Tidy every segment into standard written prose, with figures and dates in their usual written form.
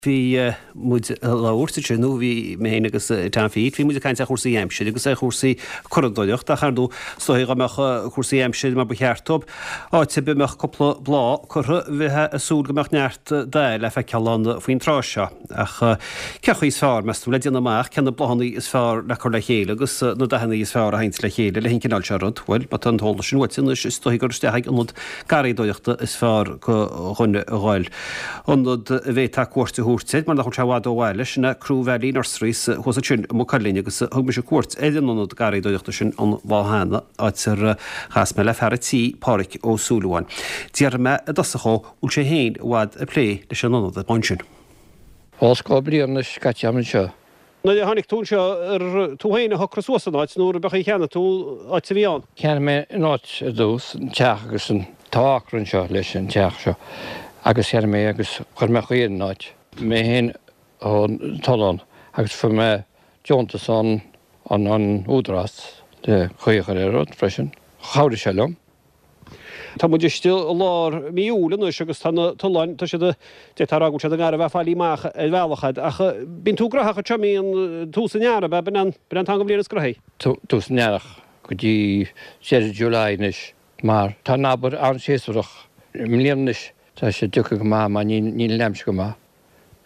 Bhí muid ag labhairt ansin, nó bhí mé féin agus Tom Phete, bhí muid ag caint ar chúrsaí aimsire agus ar chúrsaí curadóireachta ach ar ndóigh, is dóigh dá mbeadh cúrsaí aimsire mar ba cheart dóibh, áit ar bith a mbeadh cúpla bláth curtha, bheifeá ag súil go mbeadh neart dath le feiceáil ann faoin tráth seo. Ach cén chaoi is fearr, meas tú, le déanamh amach cé na bláthanna is fearr le cur le chéile agus na dathanna is fearr a sheinnt le chéile leis an gcineál seo rud? Bhuel, má tá an t-eolas sin uait anois, is dóigh gur isteach ag ionad garraíodóireachta is fearr do dhuine a dhul. Ionad a bhféadfá cuairt a thabhairt air mar nach bhfuil sé i bhfad ó bhaile, sin é Croe Valley Nurseries thuas ansin i Maigh Cuilinn agus thug mise cuairt ar an ionad garraíodóireachta sin an lá cheana, áit ar chas mé le fear an tí, Páraic Ó Súilleabháin. D'fhiafraigh mé i dtosach dhó bhfuil sé féin i bhfad ag plé leis an ionad ansin. Os cionn bliain anois caite agam anseo. Nuair a tháinig tú anseo, ar tú féin a shocraigh suas an áit nó ar chaoi cheannaigh tú áit a bhí ann? Cheannaigh mé an áit ar dtús, an teach agus an tá acra anseo leis an teach seo agus cheannaigh mé agus chuir mé caor ar an áit. Mé féin ón tollán agus fuair mé deontas ón an Údarás le caor a chur ar an rud freisin. Chabhraigh sé liom. Tá muid istigh i lár mí Iúil anois agus tá na tolláin, tá siad, d'fhéadfá a rá go bhfuil siad i ngar a bheith fáilithe amach ar bhealach fhad, ach bíonn tú gnóthach anseo, mbíonn, tús an earraigh, ab ea, b'in an t-am den bhliain is gnóthaí? Tús an earraigh go dtí deireadh July anois mar tá an obair an-séasúrach. I mbliana anois tá sé tagtha go maith mar níl an aimsir go maith.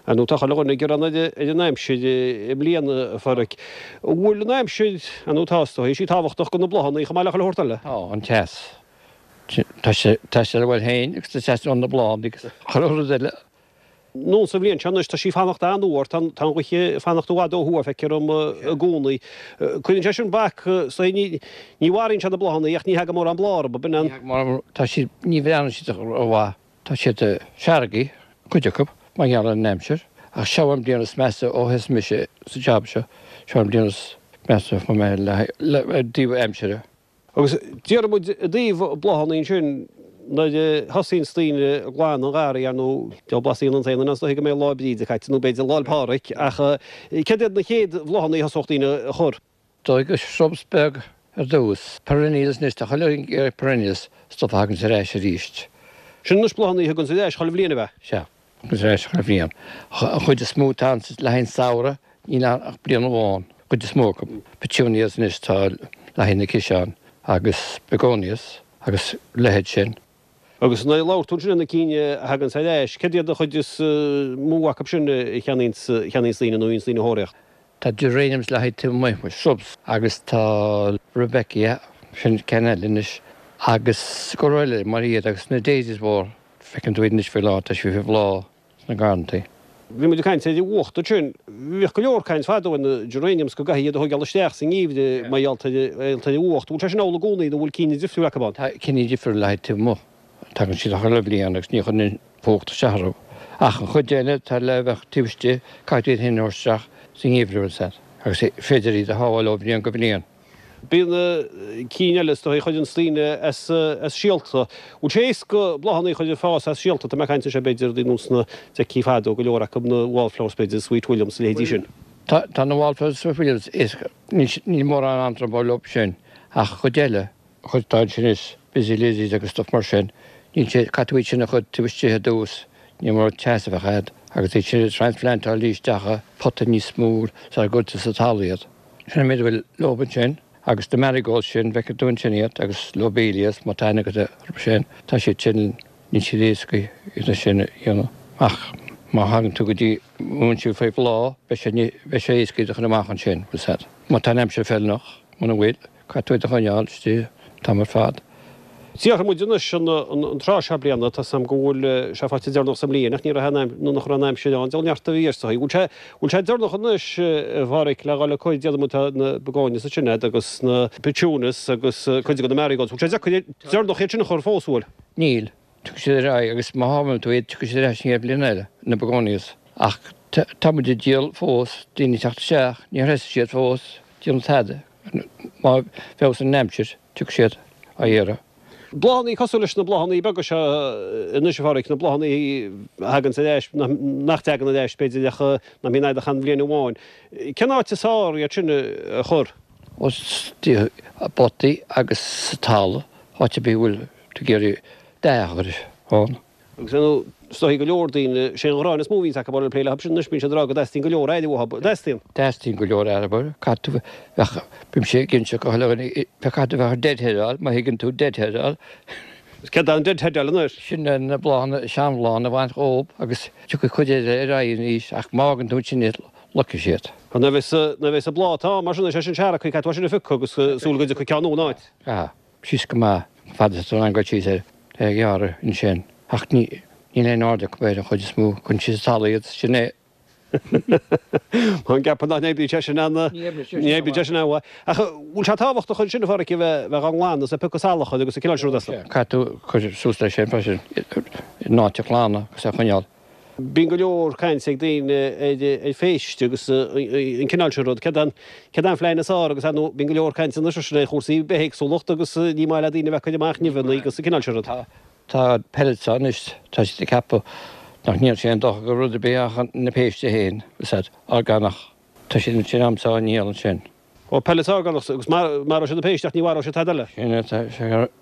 Ar ndóigh tá chuile dhuine ag gearán ar an aimsir i mbliana, a Pháraic. An bhfuil an aimsir, ar ndóigh tá, is dóigh, is í tábhachtach do na bláthanna chomh maith le chuile shórt eile? Tá, an teas. Tá sé, tá sé le bhfuil féin agus tá sé ó na bláthanna agus chuile rud eile. Nó sa bhliain seo anois tá sí ag fanacht an-fhuar, tá an ghaoth ag fanacht i bhfad ó thuaidh, feictear dom i gcónaí. Cuireann sé sin bac, is dóigh, ní, ní mharaíonn sé na bláthanna ach ní thagann mórán bláth orthu, ab in? Ní thagann mórán, tá siad, ní bhreathnaíonn siad rómhaith. Tá siad seargtha, cuid acu, mar gheall ar an aimsir, ach seo an bliain is measa ó thosaigh mise sa jab seo, seo an bliain is measa a fuair mé le i dtaobh aimsire. Agus déarfaidh muid i dtaobh bláthanna ansin, nuair a thosaíonns daoine ag glanadh an gharraí, ar ndóigh, diabhal blas a dhéanann aon duine is dóiche go mbeidh Lá Bríde caite nó b'fhéidir Lá'l Pádraig, ach céard iad na chéad bhláthanna a thosódh daoine a chur? Dóigh go shrubs beag ar dtús. Perennials anois, tá chuile dhuine ag iarraidh perennials, stuff a thaganns ar ais arís. Sin anois bláthanna a thaganns ar ais chuile bhliain, ab ea? Sea, thaganns ar ais chuile bhliain. An chuid is mó atá ann le haghaidh an samhradh, níl ann ach bliain amháin, an chuid is mó acu. Petunias anois tá le haghaidh na ciseáin agus begonias agus leithéid sin. Agus nuair a labhair tú ansin ar na cinn a thaganns ar ais, céard iad an chuid is mó acu sin a cheannaíonns daoine nó a bhíonns daoine a thóraíocht? Tá geraniums le haghaidh taobh amuigh, shrubs, agus tá rudbeckia, sin ceann eile anois, agus go leor eile mar iad agus na daisies mhór, feiceann tú iad anois faoi láthair, tá siad faoi bhláth sna garrantaí. Bhí muid ag caint ar an bhfuacht ansin. Bhíodh go leor caint fadó ar na geraniums go gcaithfí iad a thóigeáil isteach sa ngeimhreadh mar gheall ar an bhfuacht. Bhfuil sé sin amhlaidh i gcónaí nó bhfuil cinn difriúil acu ann? Tá cinn difriúil le haghaidh taobh amuigh. Tagann siad chuile bhliain agus ní chuireann an fuacht isteach orthu. Ach an chuid eile atá le bheith taobh istigh, caithfidh tú iad féin a thabhairt isteach sa ngeimhreadh ansan agus is féidir iad a shábháil ó bhliain go bliain. Bíonn na cinn eile is dóigh a chuireanns daoine as síolta. Bhfuil sé éasca bláthanna a chur ag fás as síolta? Tá mé ag caint anseo b'fhéidir ar nós na dfeictí fadó go leor acu na wallflowers b'fhéidir, Sweet Williams a leithéidí sin. Tá na wallflowers Sweet Williams éasca, níl mórán antró leo sin ach chuid eile, chuid atá ansin is Busy Lizzies agus stuff mar sin, níl sé, caithfidh tú iad sin a chur taobh istigh ar dtús, ní mór teas a bheith agat agus iad sin a transplantáil isteach i pota níos mó sara gcuirtear sa talamh iad. Sin an méid a bhfuil leob ansin agus na marigolds sin, bhfeicfidh tú ansin iad agus lobelias, má tá aithne agat orthu sin, tá siad sin, níl siad éasca iad sin a dhéanamh ach má thagann tú go dtí bhfuil siad faoi bhláth, beidh sé, beidh sé éasca iad a chur amach ansin, bhfuil 's a'd. Má tá an aimsir feiliúnach, muna bhfuil, caithfidh tú iad a choinneáil istigh an t-am ar fad. Déarfaidh muid anois an tráth seo bliana, tá 's a'm go bhfuil sé faighte deireanach sa mbliain ach ní raibh an nó nach raibh an aimsir ann, diabhal neart a bhí ar sa Bhfuil sé bhfuil sé deireanach anois a Pháraic le dhul ag cur déarfaidh muid tá na begonias ansin a'd agus na petunias agus cuid de na marigolds. Bhfuil sé deireanach iad sin a chur fós, bhfuil? Níl. Tiocfaidh siad ar aghaidh agus má shábhálann tú iad tiocfaidh siad ar ais an chéad bhliain eile, na begonias. Ach tá muid ag díol fós, daoine ag teacht isteach, níor thosaigh siad fós, déanamh tada. Má fheabhsaíonn an aimsir, tiocfaidh siad á iarraidh. Bláthanna cosúil leis na bláthanna beaga seo anois, a Pháraic, na bláthanna a thaganns ar ais, nach dtagann ar ais, b'fhéidir, ach nach mbíonn a'd ach aon bhliain amháin. Cén áit is fearr iad sin a chur? Istigh i bpotaí agus sa talamh, áit ar bith a bhfuil tú ag iarraidh dath a chur ann. Agus ar ndóigh. Is dóigh go leor daoine, sé an ghráin is mó a bhíonns acu ag plé leo sin anois, bíonn siad ag rá go dteastaíonn go leor aire uathu. Dteastaíonn? Teastaíonn go leor aire uathu. Caithfidh tú bheith, bímse ag inse go chuile dhuine, caithfidh tú bheith ag deadheadáil, má thuigeann tú deadheadáil. Céard é an deadheadáil anois? Sin na bláthanna, seanbhláthanna a bhaint dhób agus tiocfaidh cuid eile ar aghaidh arís ach má fhágann tú ansin iad, loicfidh siad. Nuair a bheas, nuair a bheas an bláth atá ann mar sin, is é sin seargtha, caithfidh tú é sin a phiocadh agus súil go dtiocfaidh ceann nua ina áit. Caithfidh. síos go maith, fad is atá an gcuid síos air a ghearradh ansin. Ach ní, níl aon aird acu air an chuid is mó, cuireann siad sa talamh iad, sin é. Tá an ceapadh nach n-oibríonn sé sin ana, ní oibríonn sé sin an-mhaith. Ach bhfuil sé tábhachtach ansin, a Pháraic, a bheith, bheith á nglanadh is ag piocadh salachar agus an cineál sin rud astu? Caithfidh tú cur suas leis sin freisin, an áit a ghlanadh agus a choinneáil. Bíonn go leor cainte ag daoine ar phéist agus an cineál sin rud. Céard é an phlean is fearr agus ar ndóigh bíonn go leor cainte anois freisin ar chúrsaí bithéagsúlacht agus ní maith le daoine a bheith ag cur amach nimheanna agus an cineál sin rud. Tá pellets ann anois, tá siad ag ceapadh nach ndéanann sé aon dochar do rud ar bith ach na péiste féin, is ea, orgánach. Tá siad ansin a'msa á ndíol ansin. Ó, pellets orgánach, agus maróidh siad na péistí ach ní mharóidh siad tada eile. Sin é atá,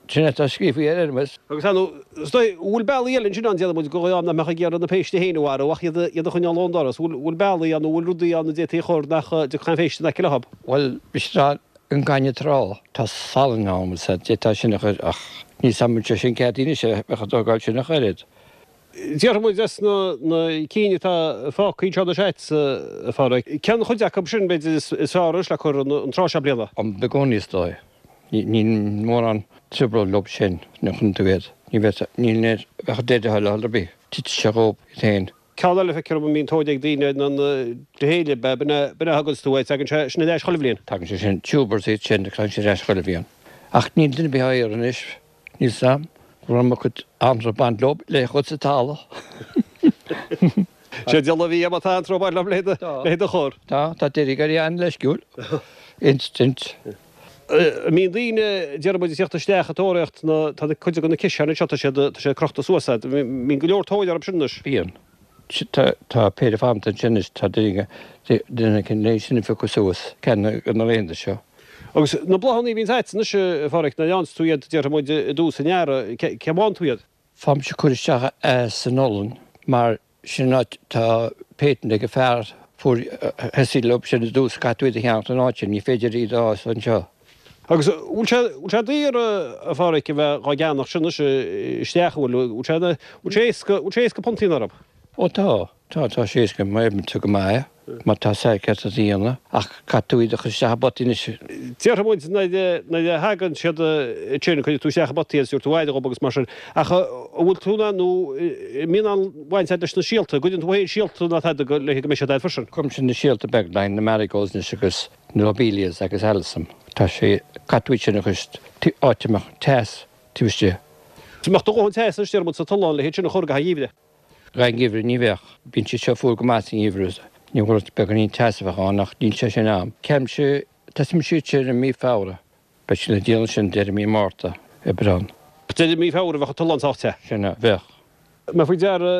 sin é atá scríofa ar Hermes. Agus ar ndóigh, is dóigh, an bhfuil bealaí eile ansin ann, déarfaidh muid, go dhá nach mbeadh ag iarraidh na péistí féin a mharú ach iad a, iad a choinneáil ón doras. Bhfuil, bhfuil bealaí ann nó bhfuil rudaí ann a d'fhéadfaí a chur nach dtiocfadh aon phéist in aice leo? Bhuel, bhí siad ag rá an gaineamh trá, tá salann ann, bhfuil 's a'd, d'fhéadfá sin a chur ach níl 's a'm an bhfuil sé sin ceadaithe anois a bheith ag tógáil sin ach oiread. Déarfaidh muid as na cinn atá fágtha anseo anois a'd, a Pháraic, cén chuid acu sin, b'fhéidir, is fearr anois le cur an tráth seo bliana? An begonia is dóigh. Níl mórán trioblóid leo sin, nuair a chuireann tú iad. Ní bheadh, níl air, bheadh deadhead ar bith, titfidh sé dhób iad féin. Ceann eile, feictear dom a mbíonn tóir ag daoine air ná an drithéile, b'in é, b'in é a thuganns tú é, tagann sé sin ar ais chuile bhliain. Tagann sé sin, tubers iad sin, tagann sé ar ais chuile bhliain. Ach níl duine ar bith á iarraidh anois. Níl 's a'm go raibh mo chuid anraith baint leo le chur sa talamh. Sé diabhal a bhí má tá anraith baint leo le do chur. Tá, tá deiridh ar an-leisciúil. Instant. An mbíonn daoine, déarfaidh muid, ag tíocht isteach ag tóraíocht na, tá cuid de na ciseáin anseo, tá siad, tá siad crochta suas a'd. Mbíonn go leor tóir orthu sin anois. Bíonn. Tá péire fanta ansin anois, tá duine éicint le sin a phiocadh suas, ceann de na laethanta seo. Agus na bláthanna a bhíonns a'd anois, a Pháraic, nuair a fhaigheanns tú iad, déarfaidh muid, i dtús an earraigh, cé a bhfághann tú iad? Faighimse cur isteach san olann mar sin an áit, tá patent ag an fear fuair thosaigh leo sin i dtús, caithfidh tú iad a cheannacht an áit sin, ní féidir iad a fhás anseo. Agus bhfuil sé, bhfuil sé daor, a Pháraic, a bheith dhá gceannacht sin anois isteach, an bhfuil, bhfuil sé, bhfuil sé éasca, bhfuil sé éasca punt a dhéanamh orthu? Ó tá, tá, tá sé éasca má oibríonn tú go maith, má tá sé ceart a dhéanamh, ach caithfidh tú iad a chur isteach i bpotaí anois. Déarfaidh muid nuair a, nuair a thagann siad ansin, cuirfidh tú isteach i bpotaí iad, is tabharfaidh tú aire dhób agus mar sin, ach an bhfuil tú in ann nó an mbíonn aon bhaint agat leis na síolta, an gcuireann tú féin síolta ná tada go, le go mbeidh siad a'd freisin? Cuirimse na síolta beaga, na marigolds anois agus. Na lobelias agus alyssum. Tá sé, caithfidh tú iad sin a chur áit a mbeadh teas taobh istigh. An mbeadh do dhóthain teas anois déarfaidh muid sa tollán le hiad sin a chur gach gheimhreadh. Gach geimhreadh ní bheadh. Bíonn siad seo fuar go maith sa ngeimhreadh. Ní rud beagáinín teas a bheadh ann ach níl sé sin a'm. Ceapaimse, tosaímse iad sin i mí Feabhra. Beidh siad le díol ansin deireadh mí Márta, Aibreán. Deireadh mí Feabhra bheadh an tollán sách te. Sin é, bheadh. Mé faoi deara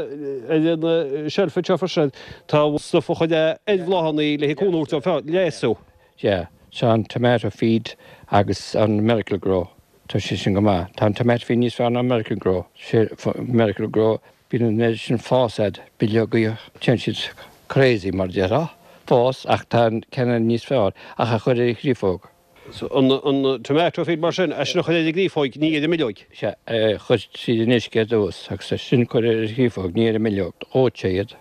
ar an tseilf anseo freisin, tá stuif a chuir ar bhláthanna le cúnamh a thabhairt dóibh leigheasú. Yeah, tá an tomato feed agus an Miracle-Gro, tá sé sin go maith. Tá an tomato feed níos fearr ná an Miracle-Gro. Sé Miracle-Gro, bíonn an oiread sin fás a'd, bileogaí, téann siad crazy mar a déarfá, fás ach tá an ceann eile níos fearr ach a chur ar an chriofóg. An tomato feed mar sin, é sin a chur ar an gcreafóig, ní ar an mbileoig. Sea, é a chur tríd an uisce ar dtús agus ansin cur ar an chreafóg, ní ar an mbileog. Dhóitear sé iad.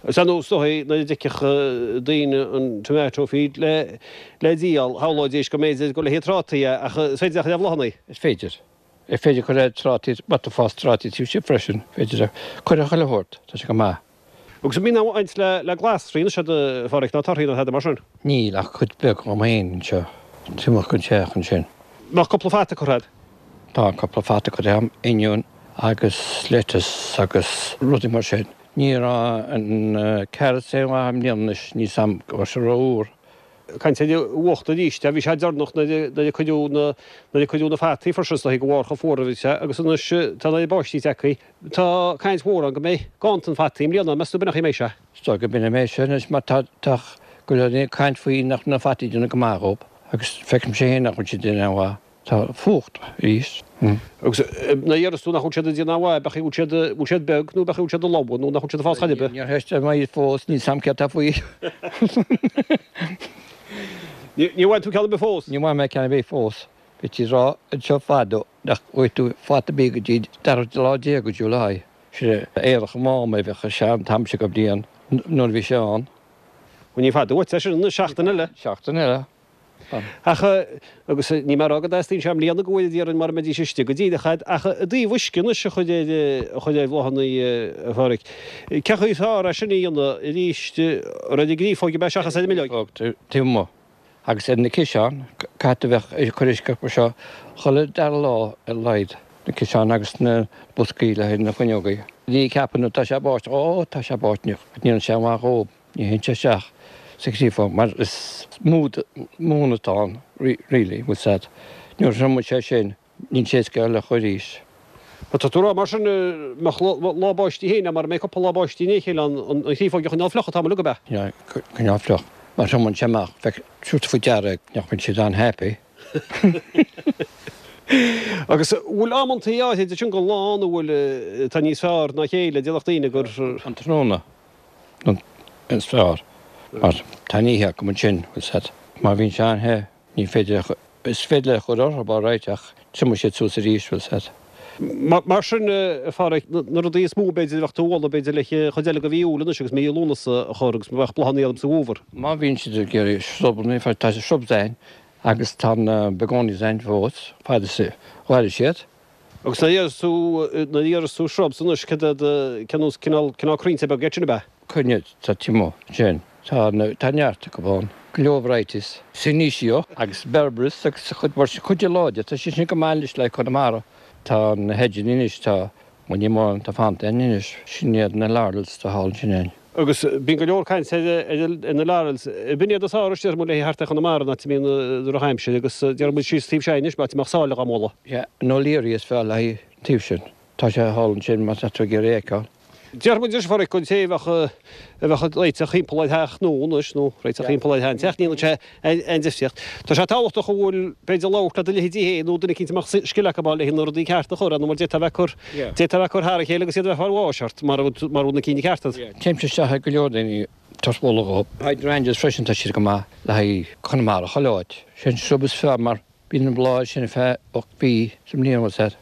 Is ar ndóigh, is dóigh, nuair a d'fheicfeadh daoine an tomato feed le díol, shamhlóidís go mb'fhéidir gur le haghaidh trátaí é, ach is féidir é a chur ar bhláthanna. Is féidir. Is féidir cur ar trátaí, má tá fás trátaí taobh istigh freisin, féidir é cur ar chuile shórt, tá sé go maith. Agus an mbíonn aon bhaint le glasraí anois a'd a Pháraic ná torthaí ná tada mar sin? Níl ach cuid beag dhom féin anseo, taobh amuigh den teach ansin. Mbeadh cúpla fata curtha a'd? Tá cúpla fata curtha a'm, oinniún agus lettuce agus rudaí mar sin. Ní raibh an carrots aon mhaith i mbliana anois, níl 's a'm go raibh sé ró-fhuar. Caint ar an bhfuacht arís, bhí sé deireanach nuair a cuireadh na nuair a cuireadh na fataí freisin is dóigh de bharr chomh fuar a bhí sé agus anois tá an oiread báistí tagtha. Tá caint mhór ann go mbeidh ganntan fataí i mbliana, meas tú b'in an chaoi a mbeidh sé? Is dóigh go b'in a mbeidh sé anois mar tá tá go leor daoine ag caint faoi nach na fataí ag déanamh go maith dhób agus feicimse féin nach bhfuil siad ag déanamh aon mhaith. Tá fuacht arís. Agus nuair a deireas tú nach bhfuil siad ag déanamh mhaith, b'fhéidir go bhfuil siad, bhfuil siad beag nó b'fhéidir go bhfuil siad ag lobhadh nó nach bhfuil siad ag fás chor ar bith? Níor theisteáil mé iad fós, níl 's a'm céard tá faoi. Níor bhain tú ceann ar bith fós? Níor bhain mé ceann ar bith fós. Bhítí ag rá anseo fadó nach bhfaighidh tú fata ar bith go dtí dara lá déag de July. Sin é Earrach an Mháma a bheadh ar an t-am seo de bhliain nuair a bhí sé ann. Bhuel ní fada uait é sin anois, seachtain eile. Seachtain eile. Ach, agus níl mé ag rá go dteastaíonn sé i mbliana go bhfuil iarraidh mara mbeidís istigh go díreach a'd, ach i dtaobh uisce anois a chur ar, a chur ar bhláthanna, a Pháraic, cén chaoi is fearr é sin a dhéanamh arís, ar an gcréafóig ab ea seachas ar an mbileog? Taobh amuigh. Agus ar na ciseáin, caithfidh tú bheith ag cur uisce orthu seo chuile dara lá ar a laghad, na ciseáin agus na boscaí le haghaidh na fuinneogaí. Ní ceapann tú tá sé ag báisteach, ó tá sé ag báisteach, ní dhéanann sé aon mhaith dhób. Ní théann sé isteach sa chréafóg mar is mún atá ann really, bhfuil 's a'd. Nuair a thriomaíonn sé sin, níl sé éasca le chur arís. Tá tú ag rá mar sin, mbeadh lá báistí féin, mara mbeidh cúpla lá báistí i ndiaidh a chéile ann, an chréafóg a choinneáil fliuch an t-am uilig, ab ea? Yeah, coinneáil fliuch. Má thriomaíonn sé amach, bheadh tabhairt faoi deara nach mbíonn siad an-happy. Agus bhfuil amantaí áithrid ansin den lá ann a bhfuil, atá níos fearr ná a chéile, déarfadh daoine gur. An tráthnóna. Is fearr mar tá an oíche acu ansin, bhfuil 's a'd. Má bhíonn sé an-the, ní féidir a, is féidir le chur orthu alright ach triomaíonn siad suas arís, bhfuil 's a'd. Mar sin, a Pháraic, na rudaí is mó b'fhéidir a bheadh tú a mholadh b'fhéidir le chuid eile de mhí Iúil anois agus mí Lúnasa a chur agus bheadh bláthanna orthu sa bhfómhar. Má bhíonn siad ag iarraidh srubanna, tá shrubs a'inn agus tá na begonias a'inn fós, fad is a mhairfidh siad. Agus nuair a deireas tú, nuair a deireas tú shrubs anois, cad iad, cén nós, cineál, cineál crainnte beaga iad sin, ab ea? Crainn atá amuigh ansin, tá na, tá neart acu ann, go leor varieties, Senecio agus Berberis agus cuid mhór, cuid de láidir, tá siad sin go maith anois le Conamara. Tá na hedgeanna anois, tá, bhuel ní mórán atá fanta a'inn anois, sin iad na laurels atá thall ansin a'inn. Agus bíonn go leor cainte ar na laurels. B'in iad is fearr is déarfaidh muid léi thart ar Chonamara, an áit a mbíonn drochaimsir agus déarfaidh muid síos taobh seo anois, áit a mbeadh sáile dhá mbualadh. Sea, an O'Leary is fearr le haghaidh an taobh sin. Tá sé thall ansin má tá tú ag iarraidh é a fheiceáil. Déarfaidh muid anois, a Pháraic, don té a bheadh a bheadh ag réiteach thimpeall ar theach nua anois, nó réiteach thimpeall ar sheanteach, ní dhéanann sé aon difríocht. Tá sé tábhachtach an bhfuil, b'fhéidir, labhairt le do leithéidí féin nó duine eicínt a mbeadh scil acu ann le na rudaí cearta a chur ann, nó mar d'fhéadfá a bheith ag cur, d'fhéadfá a bheith ag cur thar a chéile agus iad a bheith ag fáil bháis ort, mara bhfuil na cinn cearta agat. Téimse isteach ag go leor daoine tabhairt moladh dhóibh. Hydrangeas freisin, tá siad go maith le haghaidh Conamara, chuile áit. Sé an shrub is fearr mar bíonn an bláth sin ar feadh 8 mhí sa mbliain, bhfuil 's a'd.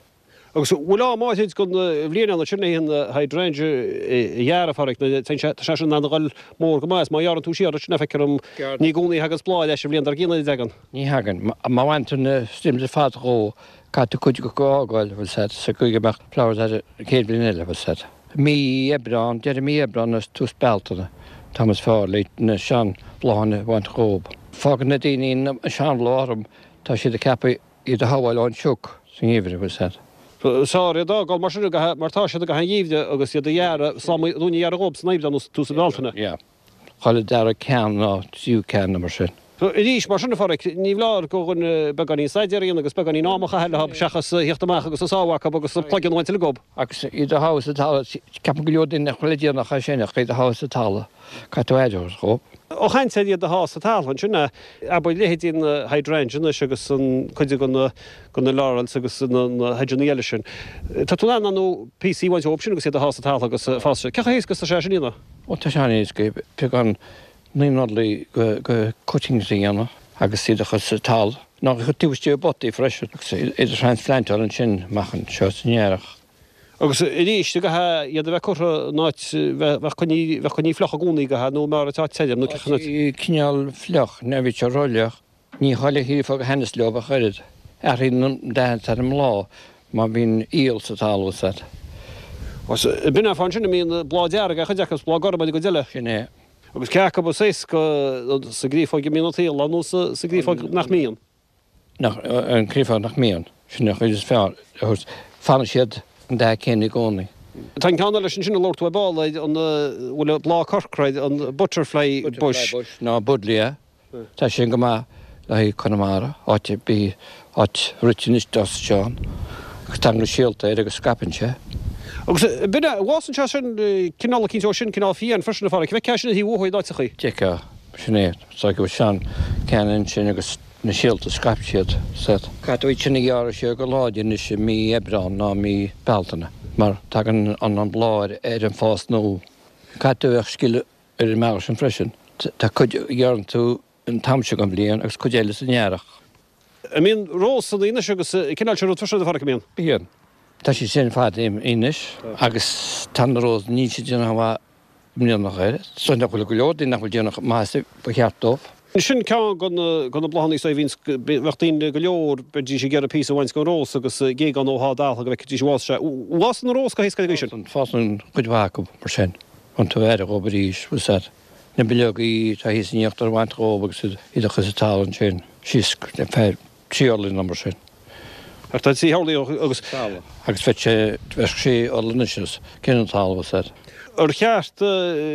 Agus an bhfuil am áithrid den bhliain ann ansin le an hydrangea a ghearradh, a Pháraic, nó tá sé tá sé sin in ann a dhul mór go maith is má ghearrann tú siar ansin feictear dom ní i gcónaí a thaganns bláth ar ais an bhliain dár gcionn an dtagann? Ní thagann. Má bhain tú na stems ar fad dhó, caithfidh tú cuid acu a fhágáil, bhfuil 's a'd, sa gcaoi go mbeadh flowers air an chéad bhliain eile, bhfuil 's a'd. Mí Aibreán, deireadh mí Aibreán agus tús Bealtaine, an t-am is fearr le na sean-bhláthanna a bhaint dhób. Fágann na daoine na sean-bhláth orthu, tá siad ag ceapadh iad a shábháil ón sioc sa ngeimhreadh, bhfuil 's a'd. Is fearr iad a fhágáil mar sin mar tá siad i gcaitheamh an gheimhridh agus iad a ghearradh, slám dúinn a ghearradh dhób san Aibreán nó tús na Bealtaine. Yeah. Chuile dara ceann nó tríú ceann nó mar sin. Arís, mar sin a Pháraic, ní foláir do dhuine beagáinín staidéir a dhéanamh agus beagáinín ama a chaitheamh leo seachas a thíocht amach agus a sá acu agus a cloigeann a bhaint uilig dhób. Agus iad a shá sa talamh, ceapann go leor daoine nach bhfuil le déanamh ach é sin, ach iad a shá sa talamh, caithfidh tú aire a thabhairt dhób. Ó chaint ar iad a shá sa talamh ansin, abair leithéidí na hydrangea anois agus an cuid de na de na laurels agus na hedgeanna eile sin. Tá tú in ann nó píosaí a bhaint dhóibh sin agus iad a shá sa talamh agus fás sé. Cén chaoi éasca is atá sé sin a dhéanamh? Ó tá sé an-éasca, beagán naoi n-orlaí de cuttings a dhéanamh agus iad a chur sa talamh, nó a chur taobh istigh i bpotaí freisin agus iad a thransplantáil ansin amach anseo san earrach. Agus arís, an gcaithfidh iad a bheith curtha in áit, bheadh coinnithe, bheadh coinnithe fliuch i gcónaí, gcaithfidh, nó mar atá tirim, nó cén áit. Cineál fliuch, ní bhíonn sé rófhliuch. Ní chuile chréafóg a thaitneos leo ach oiread. Athraíonn an dath atá ar an mbláth má bhíonn aol sa talamh, is ea. Agus b'in an fáth ansin a mbíonn bláth dearg ar chuid acu is bláth gorm ar an gcuid eile. Sin é. Agus cé acu is éasca, sa gcréafóg a mbíonn an t-aol ann nó sa gcréafóg nach mbíonn? nach, an chréafóg nach mbíonn, sin an chuid is fearr a thabhairt, fanann siad an dath céanna i gcónaí. Tá an ceann eile sin sin a labhair tú ar ball air, an bhfuil bláth corcra air, an butterfly bush. Butterfly bush nó buddleia, tá sin go maith le haghaidh Conamara, áit ar bith, áit rite anois d'fhás sé ann, agus tagann na síolta air agus scaipeann sé. Agus b'in é, bhfásann sé sin, cineál eicínt dó sin, cineál fiáin freisin a Pháraic, bhfeicfeá sin ar thaobh an bhóthair in áiteachaí. D'fheicfeá, sin é, tá go sean ceann ansin agus. Na síolta, scaip siad. Caithfidh tú iad sin a ghearradh siar go láidir anois i mí Aibreán ná mí Bealtaine mar tagann an bláth ar an fás nua. Caithfidh tú a bheith scil ar an mbealach sin freisin. Tá cuid a ghearrann tú an t-am seo den bhliain agus cuid eile san earrach. An mbíonn rósanna anois agus cineál sin rud freisin a Pháraic, an mbíonn? Bíonn. Tá siad sin ar fad imithe anois agus tá na rósanna, níl siad déanamh chomh maith i mbliana ach oiread. Is dóigh nach bhfuil go leor daoine nach bhfuil déanamh chomh maith is ba cheart dóibh. Sin ceann de na bláthanna is a bhíonns, bheadh daoine go leor, bheidís ag iarraidh píosa a bhaint den rós agus géagán ó thá daltha go bhfeicfidís an bhfásann sé. An bhfásann an rós go héasca ag sin? Fásann cuid mhaith acu mar sin. Bíonn tú aire dhóibh arís, bhfuil 's a'd. Na bileogaí atá thíos in íochtar a bhaint dhóibh agus iad a chur sa talamh ansin, síos feadh 3 orlaí nó mar sin. Ach tá 3 orlaí agus. Talamh. Agus bheadh sé, bheadh sé orla anois os cionn an talaimh is a'd. Ar cheart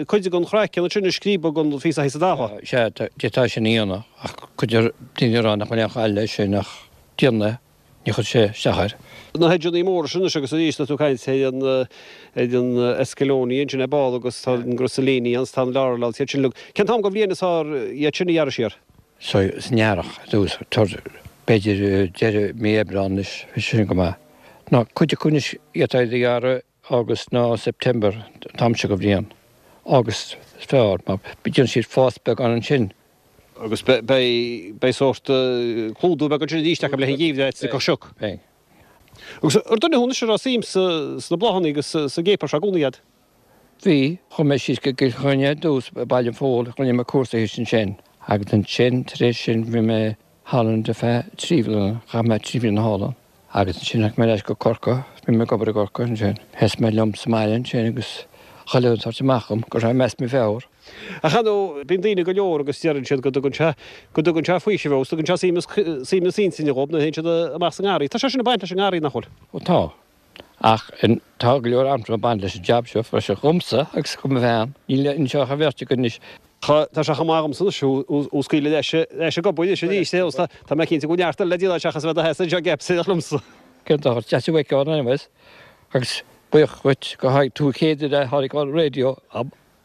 cuid den chraiceann ansin a scríobadh den phíosa thíos sa talamh? Sea, d'fhéadfá sin a dhéanamh ach cuid daoine ag rá nach bhfuil aon chaill leis sin ach déan é. Ní chuirfidh sé isteach air. Na hedgeanna móra sin anois agus arís tá tú ag caint ar an ar an escallonia ansin ar ball agus tá an griselinia agus tá an laurel agus iad sin uilig. Cén t-am den bhliain is fearr iad sin a ghearradh siar? San earrach ar dtús, b'fhéidir deireadh mí Aibreán anois, bhí sin go maith. Nó cuid acu anois d'fhéadfá iad a ghearradh August nó September an t-am seo den bhliain. August is fearr mar déanann siad fás beagán ansin. Agus beidh sórt clúdú beag ansin arís acu le haghaidh an gheimhridh áit a dtiocfadh sioc. Beidh. Agus ar duine thú anois a raibh suim sna bláthanna agus sa gcéapar seo i gcónaí a'd? Bhí. Chuaigh mé síos go gCill Chainnigh ar dtús, Baile an Phóil, rinne mé cúrsa thíos ansin agus ansin tar éis sin bhí mé thall ar feadh 3 bhliana, chaith mé 3 bhliana thall ann. Agus ansin tháinig mé ar ais go Corcaigh, bhí mé ag obair i gCorcaigh ansin. Sheas mé liom sa mbaile ansin agus chuile dhuine ag tabhairt amach dhom go raibh mé as mo mheabhair. Ach ar ndóigh, bíonn daoine go leor agus deireann siad go dtugann sé, go dtugann sé faoiseamh agus tugann sé suaimhneas, suaimhneas intinne dhóibh nuair a théann siad amach sa ngarraí. Tá sé sin ag baint leis an ngarraí, nach bhfuil? Ó tá. Ach tá go leor ansin ag baint leis an jab seo freisin dhomsa agus do mo bhean. Níl anseo ach an bheirt againn anois. Tá sé chomh maith agamsa anois thú a scaoileadh leis ag obair anois arís é agus tá mé cinnte go bhfuil neart eile le déanamh seachas a bheith do sheasamh anseo ag ceapaireacht liomsa. Cén dochar, deas thú a fheiceáil anyways agus buíoch dhuit gur tháinig tú chéad uair a tháinig an raidió.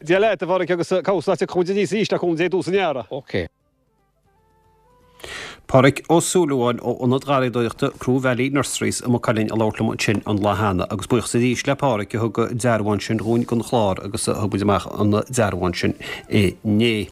Dia leat a Pháraic agus cabhair leat tiocfaidh muid aníos arís le cúnamh Dé i dtús an earraigh. Ok. Páraic Ó Súilleabháin ó Ionad Garraíodóireachta Croe Valley Nurseries i Maigh Cuilinn a labhairt liom ansin an lá cheana agus buíochas arís le Páraic a thug dearbhán sin dhúinn don chlár agus a thug muid amach an dearbhán sin inné.